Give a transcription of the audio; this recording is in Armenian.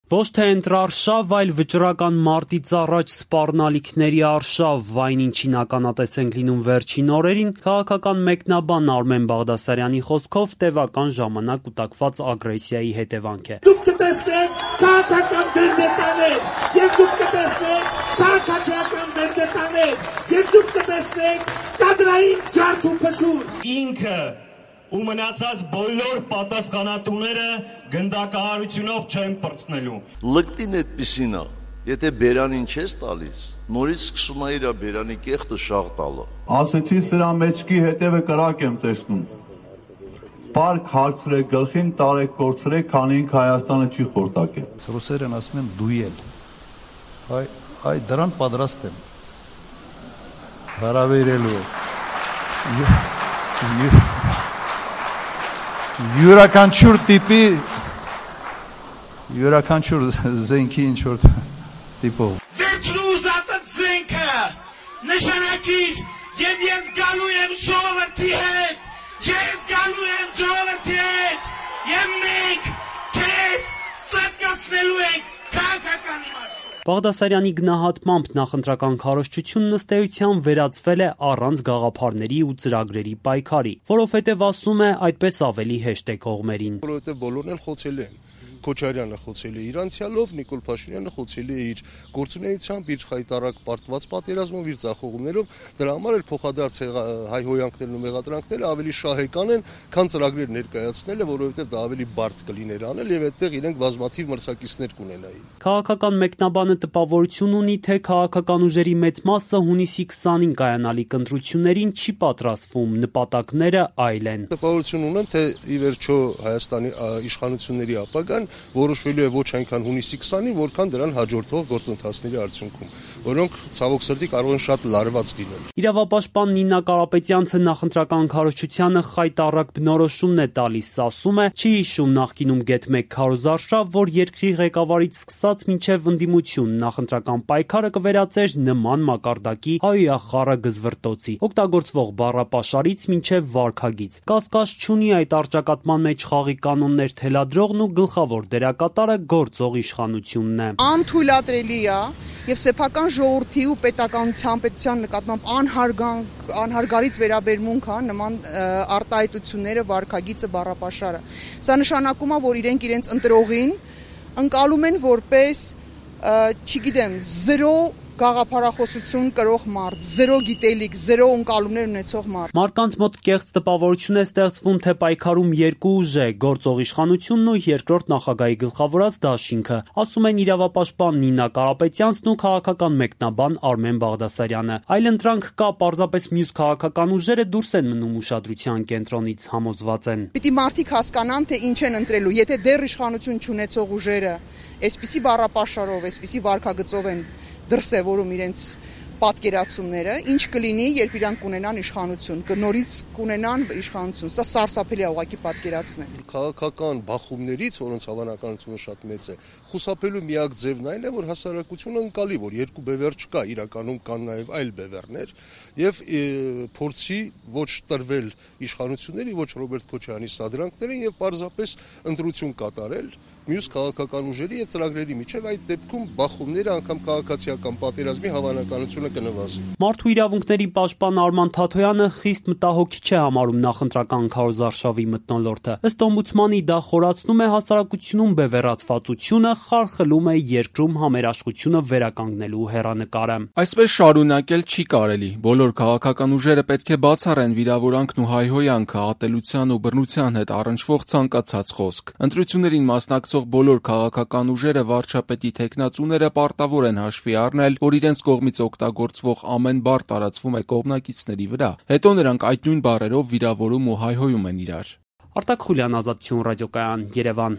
Ոչ թե ընտրարշավ, այլ վճռական մարտից առաջ սպառնալիքների արշավ, այն ինչին ականատես ենք լինում վերջին օրերին, քաղաքական մեկնաբան Արմեն Բաղդասարյանի խոսքով տևական ժամանակ կուտակված ագրեսիայի հետևանք է։ Դուք կտեսնեք քաղաքական վենդետաներ, եւ դուք կտեսնեք քաղաքացիական վենդետաներ, եւ դուք կտեսնեք կադրային ջարդ ու փշուր։ Ինքը ու մնացած բոլոր պատասխանատուները գնդակահարությունով չեն պրծնելու։ Լկտին այդպիսին է, եթե բերանին չես տալիս, նորից սկսում է իր բերանի կեղտը շաղ տալը։ Ասեցի սրա մեջքի հետևը կրակ եմ տեսնում։ Պարկ հարցրեք, գլխին տարեք, կորցրեք, քանի ինք Հայաստանը չի խորտակել։ Ռուսերեն ասում են դուել։ Այ դրան պատրաստ եմ։ Հարավերելու յուրաքանչյուր տիպի յուրաքանչյուր զենքի ինչ-որ տիպով Վերջրու ուզածը զենքը նշանակիր եւ ես գալու եմ ժողովրդի հետ եւ մենք քեզ սատկացնելու ենք քաղաքական իմաստով։ Բաղդասարյանի գնահատմամբ նախընտրական քարոզչությունն ըստ էության վերածվել է առանց գաղափարների ու ծրագրերի պայքարի, որովհետև ասում է այդպես ավելի հեշտ է կողմերին։ Որովհետև բոլորն էլ խոցել են։ Քոչարյանը խոցել է իր անցյալով, Նիկոլ Փաշինյանը խոցել է իր գործունեությամբ, իր խայտարակ պարտված պատերազմով, իր ձախողումներով, դրա համար էլ փոխադարձ հայհոյանքներն ու մեղադրանքները ավելի շահեկան են, քան ծրագրեր ներկայացնելը, որովհետև դա ավելի բարդ կլիներ անել եւ այդտեղ իրենք բազմաթիվ մրցակիցներ կունենային։ Քաղաքական մեկնաբանը տպավորություն ունի, թե քաղաքական ուժերի մեծ մասը հունիսի 20-ին կայանալիք ընտրություններին չի պատրաստվում, նպատակները այլ են։ Տպավորություն ունեմ, թե ի վերջո Հայաստանի իշխանությունների ապագան որոշվելու է ոչ այնքան հունիսի 20-ին, որքան դրան հաջորդող գործընթացների արդյունքում, որոնք ցավոք սրտի կարող են շատ լարված լինել։ Իրավապաշտպան Նինա Կարապետյանցը նախընտրական քարոզչությանը խայտառակ բնորոշումն է տալիս, ասում է, չի հիշում նախկինում գեթ-1 քարոզարշավ, որ երկրի ղեկավարից սկսած մինչև ընդդիմություն նախընտրական պայքարը կվերածեր նման մակարդակի հայախառը գզվրտոցի, օգտագործվող բառապաշարից մինչև վարքագիծ։ Կասկած չունի այդ առճակատման մեջ խաղի կանոններ թելադրողն ու գլխավոր դերակատարը գործող իշխանությունն է։ Անթույլատրելի է եւ սեփական ժողովրդի ու պետության նկատմամբ անհարգարից վերաբերմունք է նման արտահայտությունները, վարքագիծը, բառապաշարը։ Սա նշանակում է, որ իրենք իրենց ընտրողին ընկալում են որպես, չգիտեմ, 0 գաղափարախոսություն կրող մարդ, 0 գիտելիք, 0 ընկալումներ ունեցող մարդ։ Մարկանց մոտ կեղծ տպավորություն է ստեղծվում, թե պայքարում երկու ուժ է՝ գործող իշխանությունն ու երկրորդ նախագահի գլխավորած դաշինքը, ասում են իրավապաշտպան Նինա Կարապետյանցն ու քաղաքական մեկնաբան Արմեն Բաղդասարյանը։ Այլընտրանք կա, պարզապես մյուս քաղաքական ուժերը դուրս են մնում ուշադրության կենտրոնից, համոզված են։ Պիտի մարդիկ հասկանան, թե ինչ են ընտրելու, եթե դեռ իշխանություն չունեցող ուժերը այսպիսի բառապաշարով, այսպիսի վարքագծով են դրսևորում իրենց պատկերացումները, ինչ կլինի, երբ իրանք կունենան իշխանություն, նորից կունենան իշխանություն, սա սարսափելի է ուղղակի պատկերացնել։ Քաղաքական բախումներից, որոնց հավանականությունը շատ մեծ է, խուսափելու միակ ձևն այն է, որ հասարակությունը ընկալի, որ երկու բևեռ չկա, իրականում կան նաև այլ բևեռներ, եւ փորձի ոչ տրվել իշխանությունների, ոչ Ռոբերտ Քոչարյանի սադրանքներին եւ պարզապես ընտրություն կատարել մյուս քաղաքական ուժերի եւ ծրագրերի միջև, այդ դեպքում բախումները անգամ քաղաքացիական պատերազմի հավանականությունը կնվազի։ Մարդու իրավունքների պաշտպան Արման Թաթոյանը խիստ մտահոգիչ է համարում նախընտրական քարոզարշավի մթնոլորտը։ Ըստ օմբուդսմանի դա խորացնում է հասարակությունում բևեռացվածությունը, խարխլում է երկրում համերաշխությունը վերականգնելու հեռանկարը։ Այսպես շարունակել չի կարելի։ Բոլոր քաղաքական ուժերը պետք է բացառեն վիրավորանքն ու հայհոյանքը, ատելության ու բռնության հետ առնչվող ցանկացած խոսք։ Ընտրություններին մասնակցող բոլոր քաղաքական ուժերը, վարչապետի թեկնածուները պարտավոր են հաշվի առնել, որ իրենց կողմից օգտագործվող ամեն բառ տարածվում է կողմնակիցների վրա, հետո նրանք այդ նույն բառերով վիրավորում ու հայհոյում են իրար։ Արտակ Խուլյան, Ազատություն ռադիոկայան, Երևան։